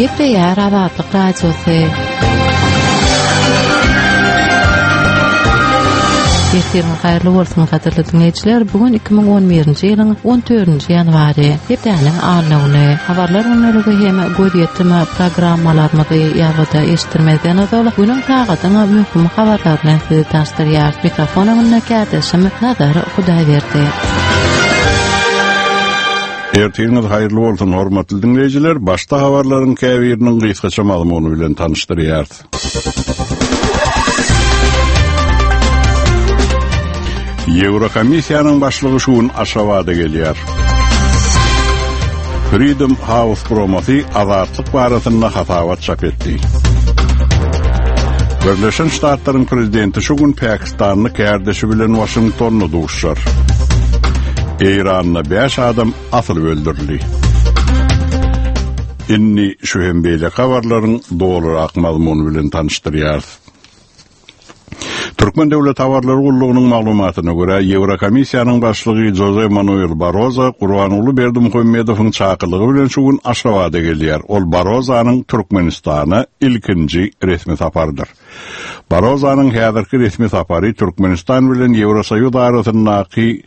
Gepleýär Azatlyk Radiosy. Ertiriňiz haýyrly bolsun, gadyrly diňleýjiler. Bu gün 2011-nji ýylyň 14-nji ýanwary, hepdäniň anna güni. Habarlar gündeligi hem gözýetim programmalarymyzy ýazgyda eşitdirmezden ozal, günüň sagadyň möhüm habarlary bilen sizi tanyşdyrýarys. Mikrofon öňünde kärdeşim Nazar Hudaýberdi. Ertiriňiz haýyrly bolsun, hormatly diňleýjiler! Başda habarlaryň käbiriniň gysgaça mazmuny bilen tanyşdyrýarys. Ýewrokomissiýanyň başlygy şu gün Aşgabada gelýär. Freedom House guramasy azatlyk barasynda hasabat çap etdi. Birleşen Ştatlaryň prezidenti şu gün pakistanly kärdeşi bilen Waşingtonda duşuşar. Eýranda 5 adam asylyp öldürildi. Indi şu hem beýleki habarlaryň dolurak mazmuny bilen tanyşdyrýarys. Türkmen döwlet habarlar gullugynyň maglumatyna görä, Ýewrokomissiýanyň başlygy Joze Manuel Barozo Gurbanguly Berdimuhamedowyň çakylygy bilen şu gün Aşgabada gelýär. Ol Barozanyň Türkmenistana ilkinji resmi saparydyr. Barozanyň häzirki resmi sapary Türkmenistan bilen Ýewrosoýuz arasyndaky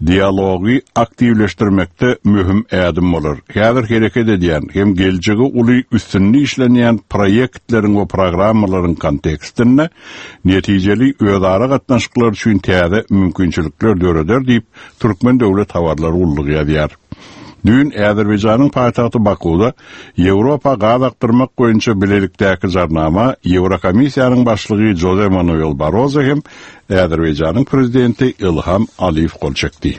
dialogy aktiwleşdirmekde möhüm ädim bolar. Häzir hereket edýän hem geljegi uly üstünde işlenýän proýektleriň we programmalaryň kontekstinde netijeli özara gatnaşyklar üçin täze mümkinçilikler döreder diýip, Türkmen döwlet habarlar gullugy ýazýar. Düýn Azerbaýjanyň paýtagty Bakuwda Ýewropa gaz akdyrmak boýunça bilelikdäki jarnama Ýewrokomissiýanyň başlygy Joze Manuel Barrozo hem Azerbaýjanyň prezidenti Ilham Aliýew gol çekdi.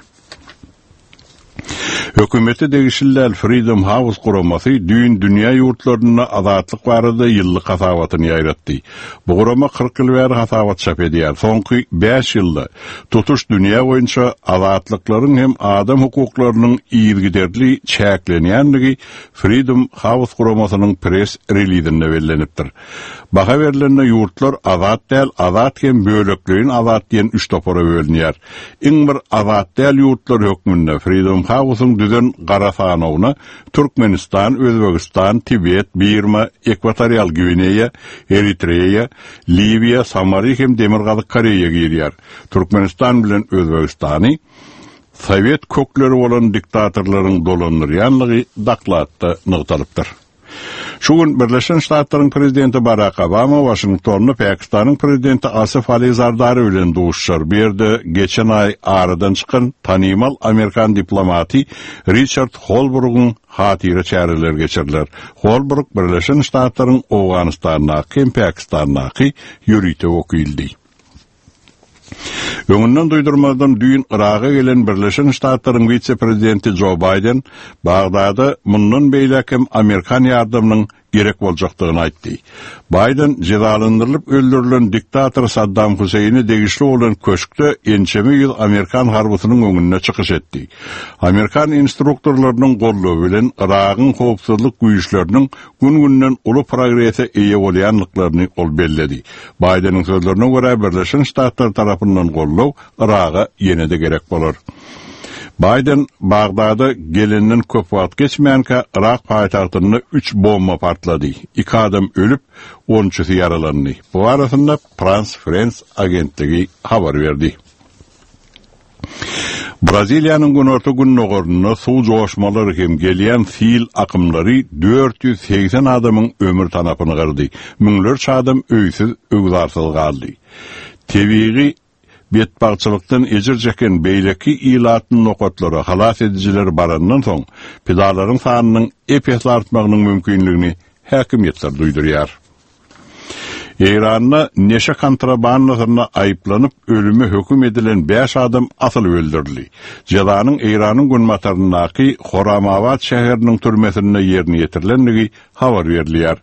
Hökümete degişli däl Freedom House guramasy düýn dünýä ýurtlarynda azatlyk barada ýyllyk hasabatyny ýaýratdy. Bu gurama 40 ýyl bäri hasabat çap edýär. Soňky bäş ýylda tutuş dünýä boýunça azatlyklaryň hem adam hukuklarynyň yzygiderli çäklenýändigi Freedom House guramasynyň press-relizinde bellenipdir. Baha berlende ýurtlar azat däl, azat hem bölekleýin azat diýen üç topara bölünýär. Iň bir azat däl ýurtlar hökmünde Freedom House-yň düzen gara sanawyna Türkmenistan, Özbegistan, Tibet, Birma, Ekwatorial Gwineýa, Eritreýa, Liwiýa, Somali hem Demirgazyk Koreýa girýär. Türkmenistan bilen Özbegistany sowet kökleri bolan diktatorlaryň dolandyrýanlygy dokladda nygtalypdyr. Şu gün Birleşen Ştatlaryň prezidenti Barak Obama Waşingtonda Pakistanyň prezidenti Asif Ali Zardari bilen duşuşar. Bu ýerde geçen aý aradan çykan tanymal amerikan diplomaty Riçard Holbrugyň hatyra çäreleri geçiriler. Holbruk Birleşen Ştatlaryň Owganystandaky hem Pakistandaky ýörite wekilidi. Öňünden duýdurmazdan düýn Yraga gelen Birleşen Ştatlaryň wise-prezidenti Jo Baýden Bagdada mundan beýläk hem amerikan ýardamynyň gerek boljakdygyny aýtdy. Baýden jezalandyrylyp öldürilen diktator Saddam Huseýine degişli bolan köşkde ençeme ýüz amerikan harbysynyň öňünde çykyş etdi. Amerikan instruktorlarynyň goldawy bilen Yragyň howpsuzlyk güýçleriniň gün-günden uly progrese eýe bolýandyklaryny ol belledi. Baýdeniň sözlerine görä, Birleşen Ştatlar tarapyndan goldaw Yraga ýene-de gerek bolar. Baýden Bagdada gelenden köp wagt geçmänkä, Yrak paýtagtynda üç bomba partlady. Iki adam ölüp, onçusy ýaralandy. Bu barasynda Prans Frens agentligi habar berdi. Braziliýanyň günorta-gündogarynda suw joşmalary hem gelýän sil akymlary 480 adamyň ömür tanapyny gyrdy, müňlerçe adam öýsüz-öwzarsyz galdy. Tebigy betbagtçylykdan ejir çeken beýleki ilatly nokatlara halas edijiler barandan soň, pidalaryň sanynyň ep-esli artmagynyň mümkinligini häkimiýetler duýdurýar. Eýranda neşe kontrabandasynda aýyplanyp, ölüme höküm edilen bäş adam asylyp öldürildi. Jezanyň Eýranyň günbataryndaky Horamabad şäheriniň türmesinde ýerine ýetirilendigi habar berilýär.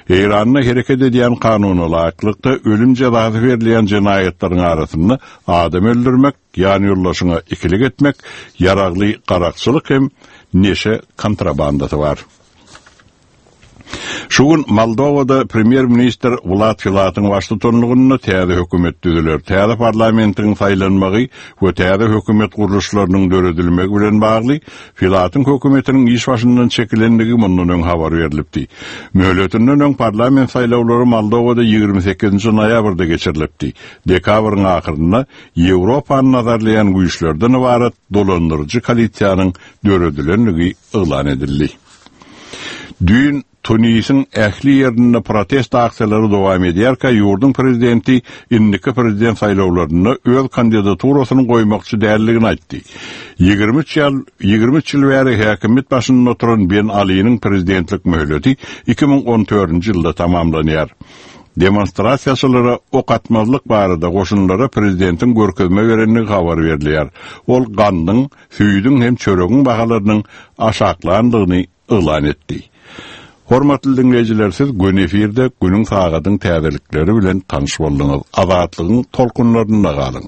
Eýranda hereket edýän kanuna laýyklykda, ölüm jezasy berilýän jenaýatlaryň arasynda adam öldürmek, ýanýoldaşyňa ikilik etmek, ýaragly garakçylyk hem neşe kontrabandasy bar. Şu gün Moldowada premýer-ministr Wlad Filatyň baştutanlygynda täze hökümet düzüler. Täze parlamentiň saýlanmagy we täze hökümet gurluşlarynyň döredilmegi bilen bagly Filatyň hökümetiniň iş başyndan çekilendigi mundan öň habar berlipdi. Möhletinden öň parlament saýlawlary Moldowada 28-nji noýabrda geçirilipdi. Dekabryň ahyrynda Ýewropany nazarlaýan güýçlerden ybarat dolandyryjy koalisiýanyň döredilendigi yglan edildi. Düýn Tunisiň ähli ýerinde protest aksiýalary dowam edýärkä, ýurduň prezidenti indiki prezident saýlawlarynda öz kandidaturasyny goýmakçy däldigini aýtdy. 23 ýal 23 ýyl bäri häkimiýet başynda oturan Ben Aliniň prezidentlik möhleti 2014-nji ýylda tamamlanýar. Demonstrasiýaçylara ok atmazlyk barada goşunlara prezidentiň görkezme berendigi habar berilýär. Ol gandyň, süýdüň hem çöregiň bahalarynyň aşaklandygyny yglan etdi. Hormatly diňleýjiler siz göni efirde günüň sagadyň täzelikleri bilen tanyş bolduňyz. Azatlygyň tolkunlarynda galyň.